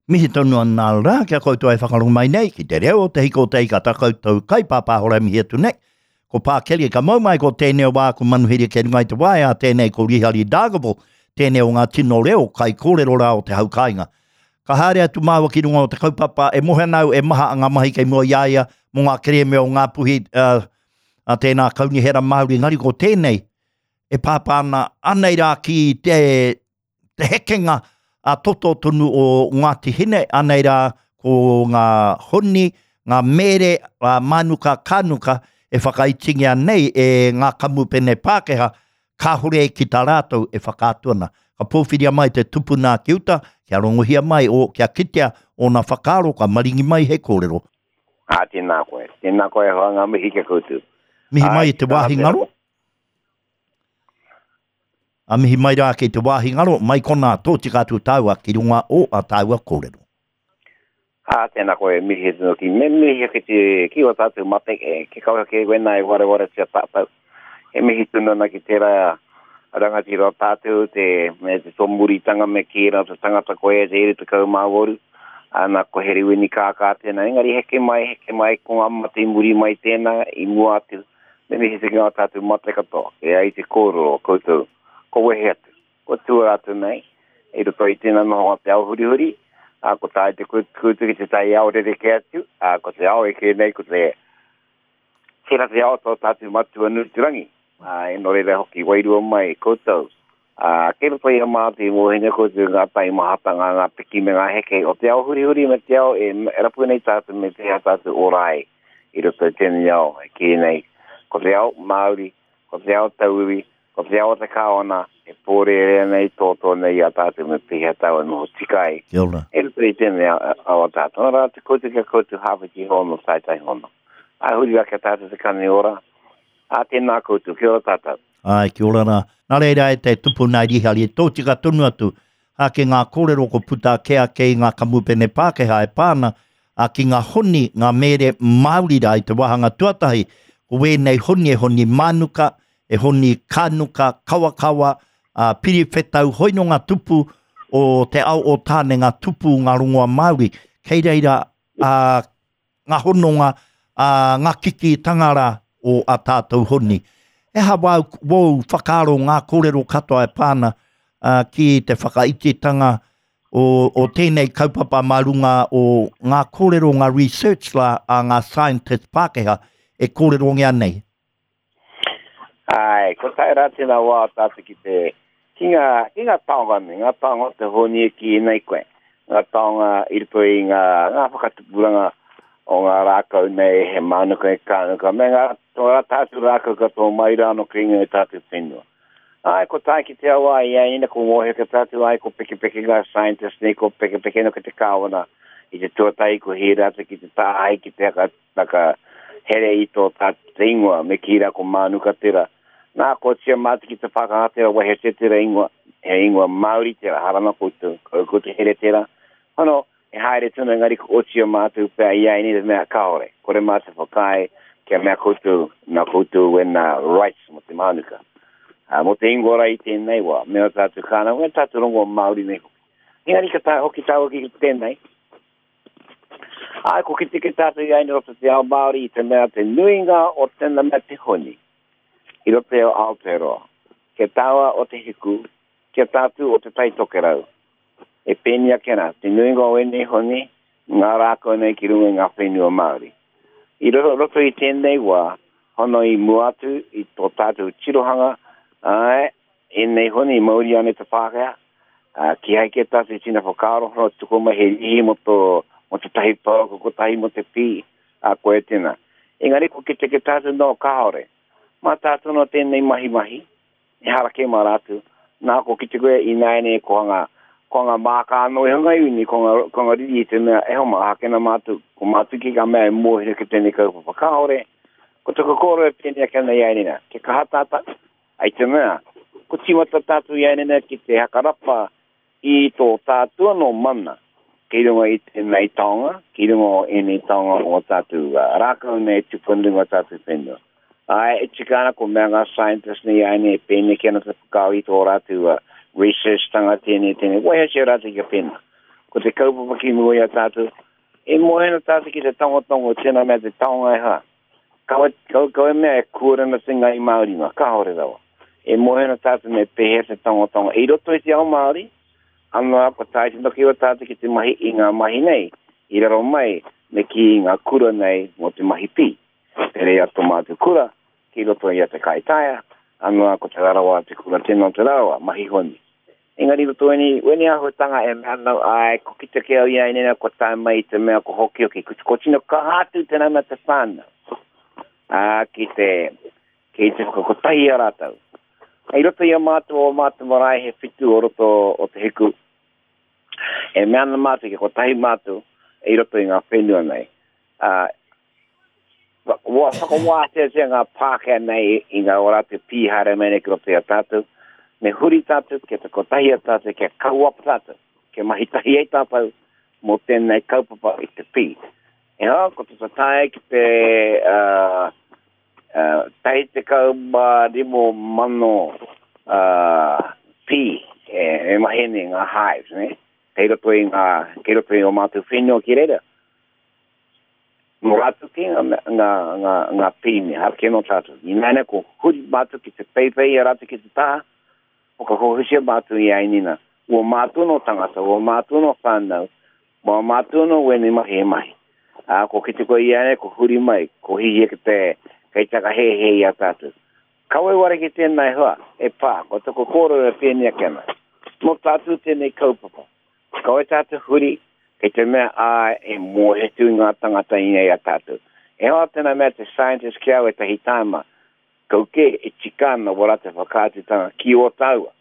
Mihi tonu ana rā ki a koutou e whakarongo mai nei ki te reo o te hiko o te ika tā koutou kaipāpāhora e mihi atu nei. Ko Pā Kelly ka mau mai ko tēnei o wāku manuhiri kei runga i te waea, tēnei ko Rihari Dargaville, tēnei o ngā tino reo kaikōrero rā o te hau kāinga. Ka haere atu māua ki runga o te kaupapa e mohe ana au e maha ngā mahi kei mua i a ia mō ngā kerēme o Ngāpuhi, uh, a tēnā kaunihera Māori, engari ko tēnei e pāpā ana anei rā ki te, te hekenga a toto tonu o Ngāti Hine, anei rā ko ngā honi, ngā mēre, a mānuka, kānuka e whakaitingia nei e ngā kamupene Pākehā, kāhore ki tā rātou e whakaatu ana. Ka pōwhiria mai te tupuna ki uta, kia rongohia mai, o, kia kitea ōna whakaaro, ka maringi mai he kōrero. Ā, tēnā koe. Tēnā koe e hoa, ngā mihi ki a koutou. Mihi mai i te wāhi ngaro. A mihi mai rā ki te wāhi ngaro, mai konā tōtika atu tāua ki runga o a tāua kōrero. Ā, tēnā koe, mihi atu ki, me mihi ki te, ki o tātou mate, e, ki kaua kē wena e warewaretia tātou. E mihi tonu ana ki tērā rangatira o tātou, te, me te tōmuritanga me kī rā te tangata koe e te 28, ana ko Herewini Kākā tēnā, engari heke mai, heke mai, ko ngā mate i muri mai tēnā, i mua atu, Me mihi ki ngā tātou mate katoa, e ai te kōrero o koutou, ko wehe atu, ko tua atu nei, i roto i tēnā nohonga te ao hurihuri, ā, ko tae te koutou ki te taiao rerekē atu, ā, ko te ao e kē nei, ko te, tērā te ao tō tātou matua nui te rangi, ā, e nō reira hoki wairua mai koutou, ā, kei roto i a mātou i mōhio koutou ngā taimahatanga, ngā piki me ngā heke o te ao hurihuri me te ao e rapu nei tātou me pēhea tātou ora ai i roto i tēnei ao e kī nei, ko te ao Māori, ko te ao tauiwi, ko te ao o te kāwana e pōrērea nei, tōtō nei i a tātou me pēhea tāua noho tika ai. Kia ora. I roto i tēnei ao a tātou. Nā rā, te koutou kia koutou hāwhiti hono, taetae hono. Ā, huri rā kia tātou te kani ora. Ā, tēnā koutou, kia ora tātou. Āe, kia ora rā. Nā reira e te tupuna i Rihari, e tōtika tonu atu ā, ki ngā kōrero ko puta ake ake i ngā kamupene Pākehā e pā ana ā, ki ngā honi, ngā mēre Māori rā i te wāhanga tuatahi, ko wēnei honi e honi mānuka, e honi kānuka, kawakawa, ā, piriwhetau, hoi nō ngā tupu o te ao o Tāne, ngā tupu, ngā rongoa Māori, kei reira ā, ngā hononga, ā, ngā kikītanga rā o ā tātou honi. He aha wāu, wōu whakaaro ngā kōrero katoa e pā ana ā, ki te whakaititanga o, o tēnei kaupapa mā runga o ngā kōrero, ngā research rā a ngā scientist Pākehā e kōrerongia nei? Āe, ko tae rā tēnā wā o tātou ki te, ki ngā, ki ngā taonga nei, ngā taonga o te honi e kī nei koe, ngā taonga i roto i ngā, ngā whakatupuranga o ngā rākau nei, he mānuka, he kānuka, me ngā, tō rā tātou rākau katoa mai rā anō ki ngā tātou whenua. Āe, ko tae ki te awa i a ina ko mōhio ki tātou, āe, ko pekepeke ngā scientist nei, ko pekepeke no ki te kāwana i te tuatahi ko hē rātou ki te tāhae ki te haka Taka here i tō tātou te ingoa, me kī rā ko Mānuka tērā. Nā, kua tia mātou ki te Pākehā tērā, wehetia tērā ingoa, he ingoa Māori tērā, harana koutou, kau koutou here tērā. Hono, e haere tonu engari ko otia mātou pea i a ēnei te mea kāore, kore mātou whakaae kia mea koutou, nā koutou wēnā rights mō te Mānuka. Ā, mō te ingoa rā i tēnei wā, me ō tātou kānga, me ō tātou rongoa Māori nei hoki. Engari ka taea hoki tāua ki tēnei, Āe, ko kite ke tātou i aina roto te ao Māori i te mea te nuinga o tēnā mea te honi i roto i Aotearoa, kia tāua o te hiku, kia tātou o te Tai Tokerau. E pēni ake ana, te nuinga o ēnei honi, ngā rākau nei ki runga i ngā whenua Māori. I roto, roto i tēnei wā, hono i mua atu i tō tātou tirohanga, āe, ēnei honi i mauria ana e te Pākehā, Ā, kīhai kē tātou i tino whakaaro, hono tuku mai he rīhi mō tō, mō tētahi pouaka kotahi mō te pī, ā, koia tēnā. Engari ko kite kē tātou, no, kāore. Mā tātou anō tēnei mahi mahi, ehara kē mā rātou. Nā, ko kite koe ināianei ko ngā, ko ngā māka anō i hanga iwi nei, ko ngā, ko ngā riri i te mea, e hoa mā, ākena mātou, ko mātou ki ngā mea e mōhio ki tēnei kaupapa. Kāore, ko taku kōrero e pēnei ake ana i a ēnei rā, kia kaha tātou, I te mea, ko tīmata tātou i āinene ki te hakarapa i tō tātou anō mana ki runga i tēnei taonga, ki runga o ēnei taonga o tātou rākau nei e tupu ana runga o tātou whenua. Āe, e tika ana ko mea ngā scientists nei āinene e pēneki ana te whakaaro i tō rātou research-tanga tēnei, tēnei, waihotia rātou kia pēnā. Ko te kaupapa ki mua i a tātou, e moe ana tātou ki te tangotango o tēnā mea te taonga e hā. Kawe, kawe, kawe mea e kūare ana te ngai Māori mā, kāore rawa. E moe ana tātou me pēhea te tangotango. I roto i te ao Māori, anō ko tae tino ki o tātou ki te mahi i ngā mahi nei, i raro mai me kī i ngā kura nei mō te mahi pī. Te reia tō mātou kura, ki roto i a Te Kaitaia, anō ko Te Rarawa te kura tino o Te Rarawa, mahi honi. Engari roto weni, weni āhuatanga e mea ana, āe, ko kite ke au i a inena kua tae mai i te mea ko hokihoki, ko, ko tino kaha atu tēnā mea te whānau, ā, ki te, ki te whakakotahi i a rātou. I roto i a mātou o mātou marae he whitu o roto o Te Hiku, e mea ana mātou kia kotahi mātou i roto i ngā whenua nei. Ā, Ua whakawāteatia ngā Pākehā nei i ngā o rātou pī haere mai nei ki roto i a tātou. Me huri tātou, kia te kotahi a tātou, kia kauapa tātou, kia mahi tahi ai tātou mō tēnei kaupapa i te pī. E hā, ko te tatae ki te uh, uh, 15 uh, pī e, e mahi nei ngā hives, ne? Kei roto i ngā, kei roto i o mātou whenua ki reira. Nō rātou kē ngā, ngā, ngā, ngā pīne, hara kē nō tātou. Ināianei ko huri mātou ki te peipei i a rātou ki te taha, whakahohutia mātou i a Inina. Ua mātou nō tangata, ua mātou nō whānau, ua mātou nō wēnei mahi e mahi. Ā, ko kite koe i ko huri mai, ko hihia ki te, kei takahēhē i a tātou. Kawe ware ki tēnā e hoa, e pā, ko taku kōrero e pēnei ake ana. Nō tātou tēnei kaupapa. Kawe tātou huri, kei te mea āe e mōhetu i ngā tangata i nei a tātou. E hoa tēnā mea te scientist ki au ētahi tāima, kau kē e tika ana wā rātou whakaatutanga ki ō tāua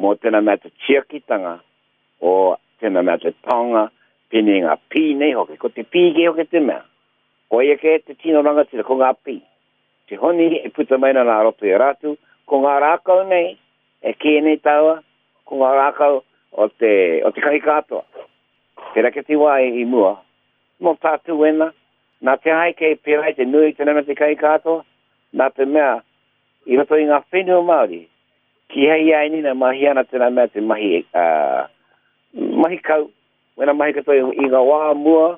mō tēnā mea te tiakitanga o tēnā mea te taonga pēnei ngā pī nei hoki. Ko te pī kē hoki te mea. Koia kē te tino rangatira, ko ngā pī. Te honi e puta mai ana nā roto i a rātou, ko ngā rākau nei e kē nei tāua, ko ngā rākau o te, o te kahikātoa. Pērā ki te wā i mua, mō tātou wena, nā te aha kei pērā i te nui te nana te kahikātoa, nā te mea, i roto i ngā whenua Māori, kīhai i a Inina mahi ana tēnā mea te mahi, uh, mahi kau, wena mahi katoa i, i ngā wā mua,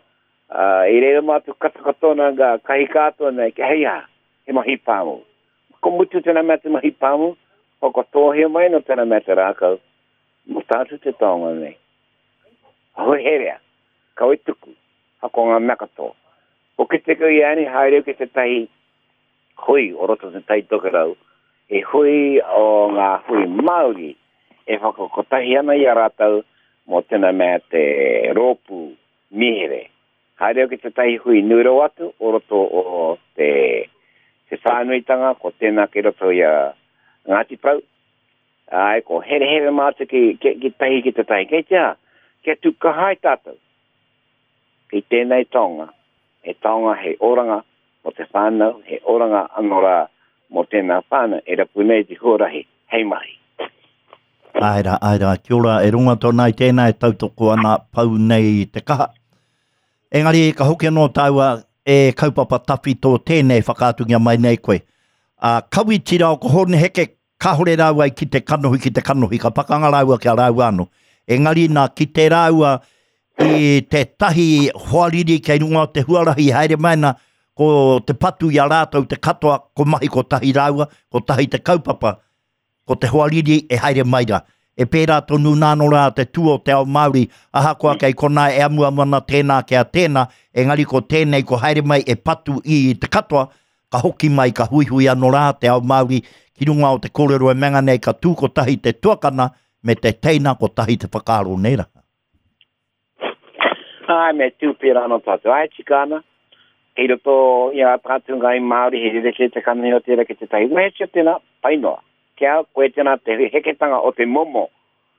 uh, i reira mātou kata katoa nā ngā kahikātoa nei, kia hei aha, he mahi pāmu. Ko mutu tēnā mea te mahi pāmu, whakatōhia mai no tēnā mea te rākau, mō tātou te taonga nei. Herea, kawe tuku, hako ngā mea katoa. Ko kite kau i ani, haere ki tētahi hui o roto te Tai Tokerau, he hui o ngā hui Māori e whakakotahi ana i a rātou mō tēnā mea te rōpū mihere. Haere au ki tētahi hui nui rawa atu o roto o te, te whānuitanga, ko tēnā ki roto i a Ngāti Porou. Āe, ko herehere mātou ki, ki, ki tahi ki tētahi. Kei te aha, kia tū kaha ai tātou ki tēnei taonga, he taonga hei oranga mō te whānau, he oranga anō rā mō tēnā whānau e rapu nei te huarahi hei mahi. Āe rā, āe rā, kia ora, e rongo atu ana i tēnā e tautoko ana pau nei te kaha. Engari ka hoki anō tāua e kaupapa tawhito tēnei whakaatungia mai nei koe. A Kawitira o ko Hōne Heke, kāore rāua i kite kanohi ki te kanohi, ka pakanga rāua ki a rāua anō. Engari nā kite rāua i tētahi hoariri kei runga o te huarahi haere mai ana, ko te patu i a rātou te katoa, ko mahi kotahi rāua, kotahi te kaupapa, ko te hoariri e haere mai rā. E pērā tonu nā anō rā te tū o te ao Māori, ahakoa kei konā e amuamu ana tēnā ki a tēnā, engari ko tēnei ko haere mai e patu i te katoa, ka hoki mai, ka huihui anō rā te ao Māori ki runga o te kōrero e menga nei ka tū kotahi te tuakana me te teina kotahi te whakaaro nē rā. Āe, me tū pērā anō tātou. Āe, tika ana, kei roto i a tātou ngāi Māori he rerekē te kanohi o tērā ki tētahi. Wehetia tēnā, pai noa. Ki a au, koe tēnā te heketanga o te momo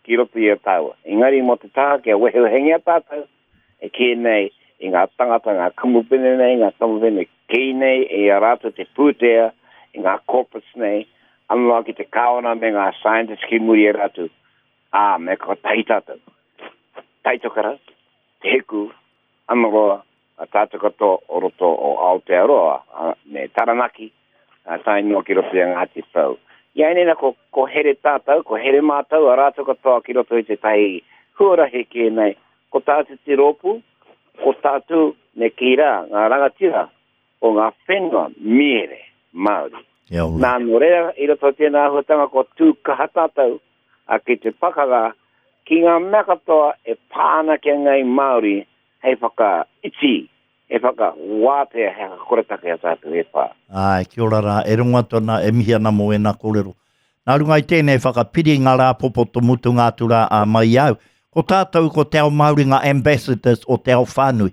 ki roto i a tāua. Engari mō te taha kia wehewehengia tātou, e kī nei i ngā tangata, ngā kamupene nei, ngā kamupene kī nei i a rātou te pūtea, i ngā corporates nei, anō ki te kāwana me ngā scientists ki muri i a rātou, ā, me kotahi tātou. Taitokerau, Te Hiku, Amaroa, a tātou katoa o roto o Aotearoa, a, me Taranaki, a, tae noa ki roto i a Ngāti Porou. I a ēnei ko, ko here tātou, ko here mātou, a rātou katoa ki roto i tētahi huarahi ki ēnei, Ko tātou te rōpū, ko tātou me kī rā, ngā rangatira o ngā whenua miere Māori. Nā, nō reira, i roto i tēnā āhuatanga kua tū kaha tātou a ki te pakanga ki ngā mea katoa e pā ana ki a Ngāi Māori hei whakaiti, hei whakawātea, hei whakakoretake i a tātou e whā. Āe, kia ora rā, e rongo atu ana, e mihi ana mō ēnā kōrero. Nā runga i tēnei whakapiri ngā rāpopoto mutunga atu rā ā mai i au. Ko tātou ko te ao Māori ngā ambassadors o te ao whānui.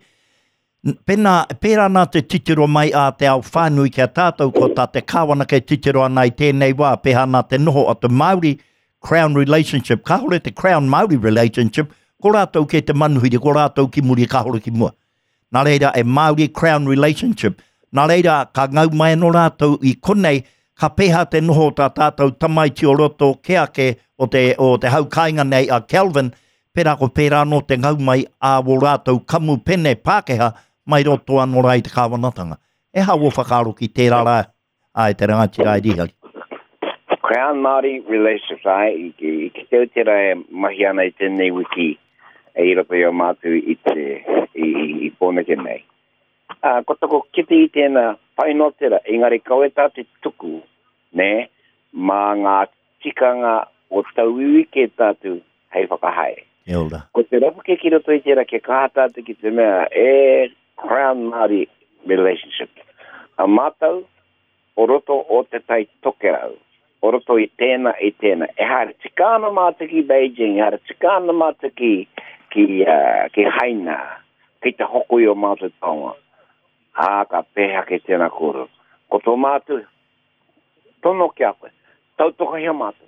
Pēnā, pērā nā te titiro mai a te ao whānui ki a tātou ko tā te kāwana kei titiro ana i tēnei wā, pēhā nā te noho o te Māori Crown relationship, kāore te Crown Māori relationship, ko rātou kei te manuhiri, ko rātou ki muri, kāore ki mua. Nā reira, e Māori Crown relationship. Nā reira, ka ngau mai anō rātou i konei, ka pēhā te noho o tā tātou tamaiti o roto kē ake o te, o te hau kāinga nei a Kelvin, pērā ko pērā anō te ngau mai a wō rātou kamupene Pākehā mai roto anō rā i te kāwanatanga. E hā wō whakaaro ki tērā rā? Āe, te rangatira ai Rihari. Crown Māori Relationships, āe, i, i, i kite au tērā e mahi ana i tēnei wiki e i roto i o mātou i te, i, i, i Pōneke nei. Ā, ko taku kite i tēnā, pai noa tērā, engari kawe tā te tuku, nē, mā ngā tikanga o tauiwi kē tātou hei whakahaere. Kia ora. Ko te rapu kē ki roto i tērā kia kaha tātou ki te mea e Crown Māori relationship. A mātou o roto o Te Tai Tokerau, o roto i tēnā, i tēnā. E haere tika ana mātou ki Beijing, e haere tika ana mātou ki, ki, uh, ki Haina, ki te hoko i o mātou taonga. Ā, ka pēhea kei tēnā kōrero. Ko tō mātou tono ki a koe, tautokohia mātou.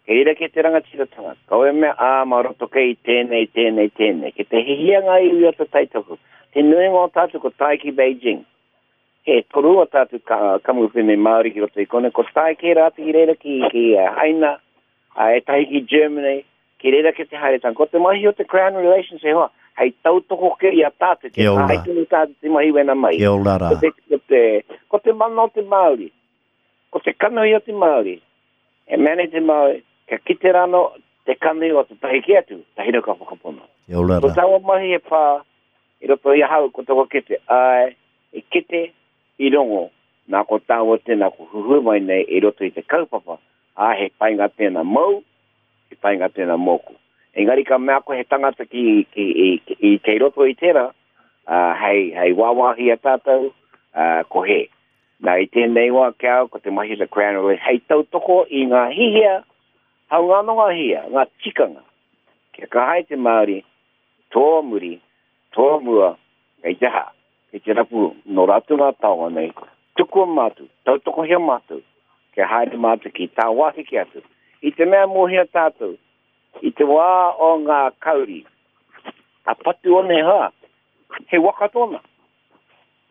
Kei reira kē te rangatiratanga, kaua e mea, ā, mā roto kei i tēnei, tēnei, tēnei. Kei te hihia ngā iwi o te Taitoku. Te nuinga o tātou ko tae ki Beijing. He toru o tātou ka, kamupene Māori ki roto i konei, ko tae kē rātou ki reira ki, ki Haina, ā, ētahi ki Germany, ki reira kē te haeretanga. Ko te mahi o te Crown Relations e hoa, hei tautoko kē i a tātou, kia tae tonu tātou te mahi wena mahi. Kia ora rā. Ko te, ko te, ko te mana o te Māori, ko te kanohi o te Māori, E mea nei te Māori, kia kite rānō te kanohi o tētahi kē atu, tahi rau ka whakapono. Kia ora rā. Ko taua mahi e pā i roto i ahau, ko taua kete, āe, i kite, i rongo, nā ko tāua tēnā ko huhua mai nei i roto i te kaupapa, ā, he painga tēnā mōu, he painga tēnā mōku. Engari ka mea koe he tangata ki, ki, i, i, kei roto i tērā, ā, hei, hei wāwāhi i a tātou, ā, ko hē. Nā, i tēnei wā ki a au, ko te mahi o te Crown Release hei tautoko i ngā hihia, hāunga anō ngā hihia, ngā tikanga, kia kaha ai te Māori, tō muri, tō mua, kei te aha, kei te rapu nō rātou ngā taonga nei, tukua mātou, tautokohia mātou, kia haere mātou ki tāwāhi kē atu. I te mea mōhio tātou, i te wā o ngā kauri, a Patuone hā, he waka tōna.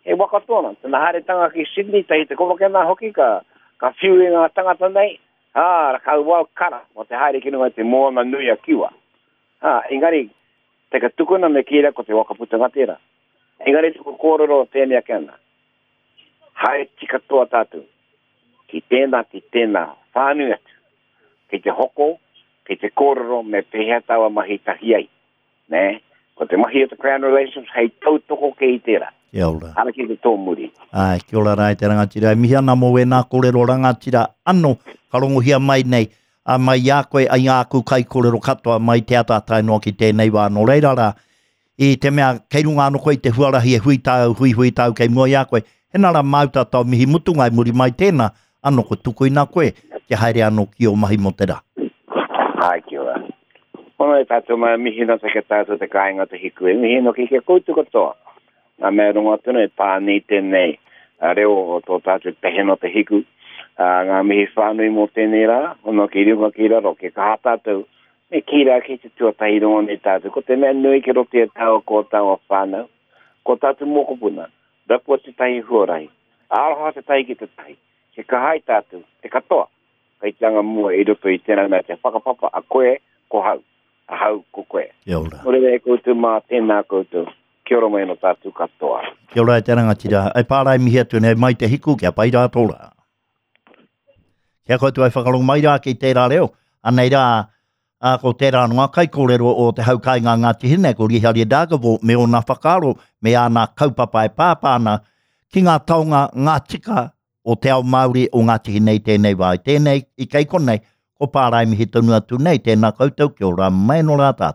He waka tōna. Tana haeretanga ki Sydney, tahi te komokena hoki, ka, ka whiu i ngā tangata nei, ā, ka wau kara mō te haere ki runga i te moana nui a Kiwa. Ā, engari, te ka tukuna me kī rā ko te waka putanga tērā. Engari tuku kōrero tēnei ake ana, haere tika toa tātou ki tēnā, ki tēnā, whānui atu, ki te hoko, ki te kōrero me pēhea tāua mahi tahi ai. Nē? Ko te mahi o te Crown Relations hei tautoko kē i tērā. Kia ora. Ara ki te tōmuri. Āe, kia ora rā e te rangatira. E mihi ana mō wēnā kōrero rangatira ano ka rongohia mai nei, a mai i a koe, i āku kaikōrero katoa mai te ata tae noa ki tēnei wā. Nō reira rā, i te mea kei runga ano koe i te huarahi e hui tāu, huihui tāu kei mua i a koe, hena rā māu tātou mihi mutunga i muri mai tēnā, ano ko tukuina koe kia haere ano ki ō mahi mō te rā. Āe, kia ora. Pono e tātou mai mihi no te ke tātou te kāinga te hiku e mihi no ki ke koutou katoa. Ngā mea rongo atu nei pānui tēnei reo o tō tātou tehe no te hiku. Ngā mihi whānui mō tēnei rā, hono ki runga ki raro, ke kaha tātou, me kī rā ki te tuatahi rongo nei tātou. Ko te mea nui ki roto i a tāua ko tāua whānau, ko tātou mokopuna, rapua tētahi huarahi, aroha tētahi ki tētahi, ke kaha ai tātou, te katoa. Kei te anga mua i roto i tēnā mea te whakapapa a koe, ko hau, ahau, ko koe. Kia ora. Nō reira e koutou mā, tēnā koutou. Kia ora mai anō tātou katoa. Kia ora e te rangatira. E pārae mihi atu nei mai te hiku kia pai rā tō rā. Kia koutou e whakarongo mai rā ki tērā reo. Anei rā, Ā, ko tērā anō ngā kaikōrero o te hau kāinga Ngāti Hine, ko Rihari Dargaville me ōna whakaaro, me āna kaupapa e pāpā ana ki ngā taonga, ngā tika o te ao Māori o Ngāti Hine i tēnei wā. I tēnei, i kei konei, ko Pārae mihi tonu atu nei, tēnā koutou, kia ora mai anō rā tātou.